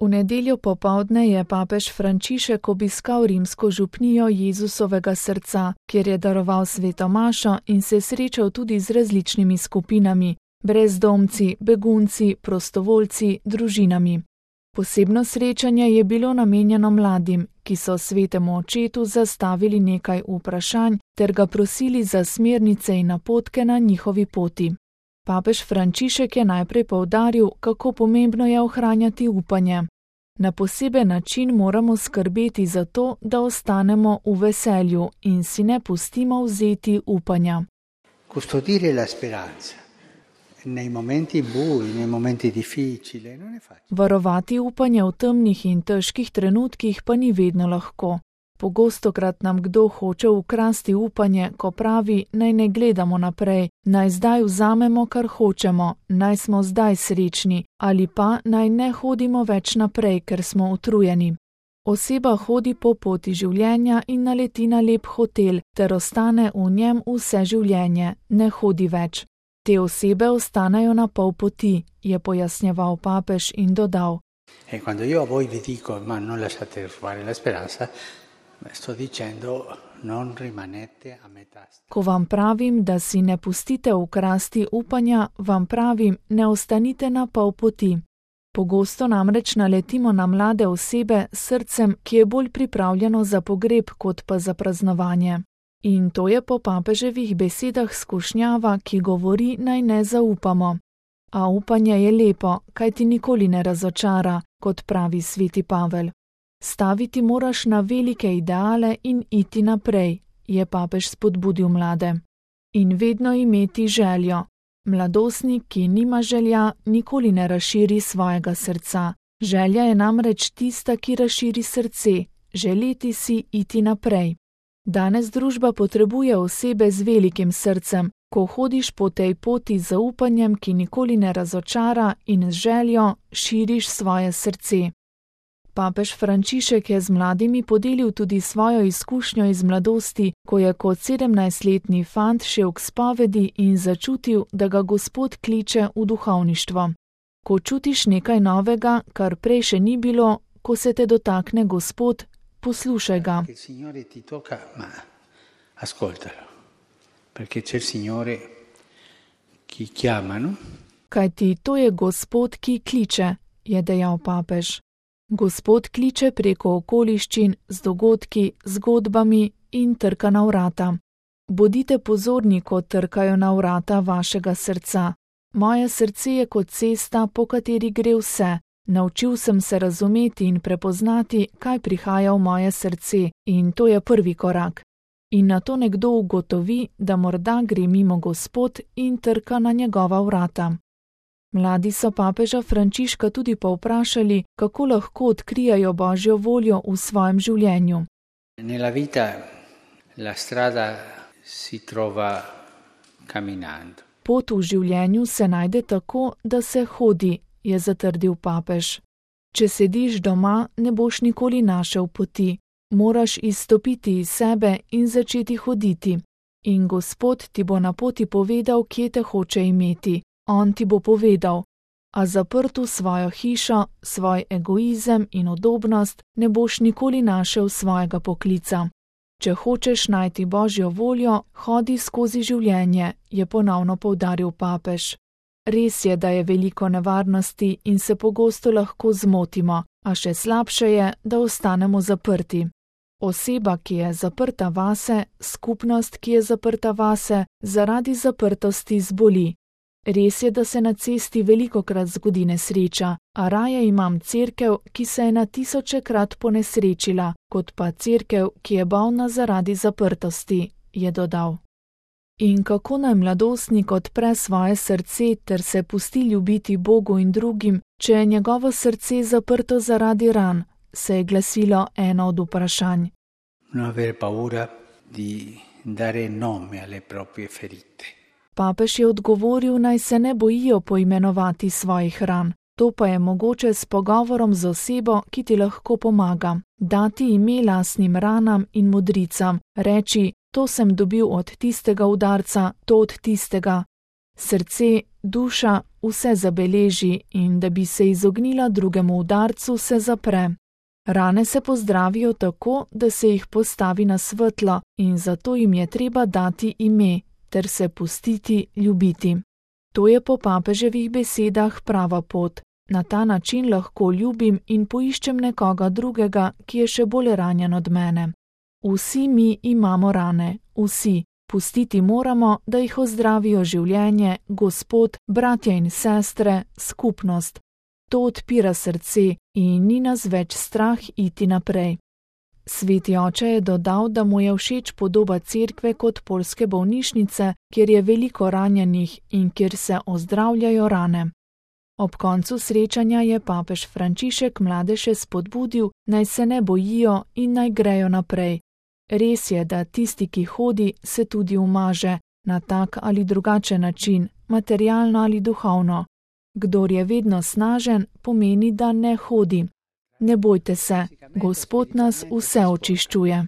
V nedeljo popoldne je papež Frančišek obiskal rimsko župnijo Jezusovega srca, kjer je daroval sveto mašo in se srečal tudi z različnimi skupinami, brezdomci, begunci, prostovoljci, družinami. Posebno srečanje je bilo namenjeno mladim, ki so svetemu očetu zastavili nekaj vprašanj ter ga prosili za smernice in napotke na njihovi poti. Papež Frančišek je najprej poudaril, kako pomembno je ohranjati upanje. Na poseben način moramo skrbeti za to, da ostanemo v veselju in si ne pustimo vzeti upanja. Custodire la speranza nei momenti bui, nei momenti difficili, non è facile. Varovati upanje v temnih in težkih trenutkih pa ni vedno lahko. Pogostokrat nam kdo hoče ukrasti upanje, ko pravi, naj ne gledamo naprej, naj zdaj vzamemo, kar hočemo, naj smo zdaj srečni, ali pa naj ne hodimo več naprej, ker smo utrujeni. Oseba hodi po poti življenja in naleti na lep hotel, ter ostane v njem vse življenje, ne hodi več. Te osebe ostanejo na pol poti, je pojasnjeval papež in dodal. E quando io a voi vi dico, ma non lasciate rubare la speranza, sto dicendo non rimanete a metà. Ko vam pravim, da si ne pustite ukrasti upanja, vam pravim, ne ostanite na pol poti. Pogosto namreč naletimo na mlade osebe s srcem, ki je bolj pripravljeno za pogreb kot pa za praznovanje. In to je po papeževih besedah skušnjava, ki govori, naj ne zaupamo. A upanje je lepo, kaj ti nikoli ne razočara, kot pravi sveti Pavel. Staviti moraš na velike ideale in iti naprej, je papež spodbudil mlade. In vedno imeti željo. Mladostnik, ki nima želja, nikoli ne razširi svojega srca. Želja je namreč tista, ki razširi srce, želeti si iti naprej. Danes družba potrebuje osebe z velikim srcem, ko hodiš po tej poti z zaupanjem, ki nikoli ne razočara, in z željo širiš svoje srce. Papež Frančišek je z mladimi podelil tudi svojo izkušnjo iz mladosti, ko je kot 17-letni fant šel k spovedi in začutil, da ga Gospod kliče v duhovništvo. Ko čutiš nekaj novega, kar prej še ni bilo, ko se te dotakne Gospod, poslušaj ga. Kajti to je Gospod, ki kliče, je dejal papež. Gospod kliče preko okoliščin, z dogodki, zgodbami in trka na vrata. Bodite pozorni, ko trkajo na vrata vašega srca. Moje srce je kot cesta, po kateri gre vse. Naučil sem se razumeti in prepoznati, kaj prihaja v moje srce, in to je prvi korak. In nato nekdo ugotovi, da morda gre mimo Gospod in trka na njegova vrata. Mladi so papeža Frančiška tudi povprašali, kako lahko odkrijajo Božjo voljo v svojem življenju. Nella vita la strada si trova camminando. Pot v življenju se najde tako, da se hodi, je zatrdil papež. Če sediš doma, ne boš nikoli našel poti. Moraš izstopiti iz sebe in začeti hoditi. In Gospod ti bo na poti povedal, kje te hoče imeti. On ti bo povedal, a zaprt v svojo hišo, svoj egoizem in udobnost ne boš nikoli našel svojega poklica. Če hočeš najti Božjo voljo, hodi skozi življenje, je ponovno poudaril papež. Res je, da je veliko nevarnosti in se pogosto lahko zmotimo, a še slabše je, da ostanemo zaprti. Oseba, ki je zaprta vase, skupnost, ki je zaprta vase, zaradi zaprtosti zboli. Res je, da se na cesti velikokrat zgodi nesreča, a raje imam cerkev, ki se je na tisočekrat ponesrečila, kot pa cerkev, ki je bolna zaradi zaprtosti, je dodal. In kako naj mladostnik odpre svoje srce ter se pusti ljubiti Bogu in drugim, če je njegovo srce zaprto zaradi ran, se je glasilo eno od vprašanj. Non avere paura di dare nome alle proprie ferite. Papež je odgovoril, naj se ne bojijo poimenovati svojih ran. To pa je mogoče s pogovorom z osebo, ki ti lahko pomaga. Dati ime lastnim ranam in modricam. Reči, to sem dobil od tistega udarca, to od tistega. Srce, duša, vse zabeleži in da bi se izognila drugemu udarcu, se zapre. Rane se pozdravijo tako, da se jih postavi na svetlo in zato jim je treba dati ime ter se pustiti ljubiti. To je po papeževih besedah prava pot. Na ta način lahko ljubim in poiščem nekoga drugega, ki je še bolj ranjen od mene. Vsi mi imamo rane, vsi. Pustiti moramo, da jih ozdravijo življenje, Gospod, bratje in sestre, skupnost. To odpira srce in ni nas več strah iti naprej. Sveti oče je dodal, da mu je všeč podoba cerkve kot poljske bolnišnice, kjer je veliko ranjenih in kjer se ozdravljajo rane. Ob koncu srečanja je papež Frančišek mlade še spodbudil, naj se ne bojijo in naj grejo naprej. Res je, da tisti, ki hodi, se tudi umaže, na tak ali drugačen način, materialno ali duhovno. Kdor je vedno snažen, pomeni, da ne hodi. Ne bojte se, Gospod nas vse očiščuje.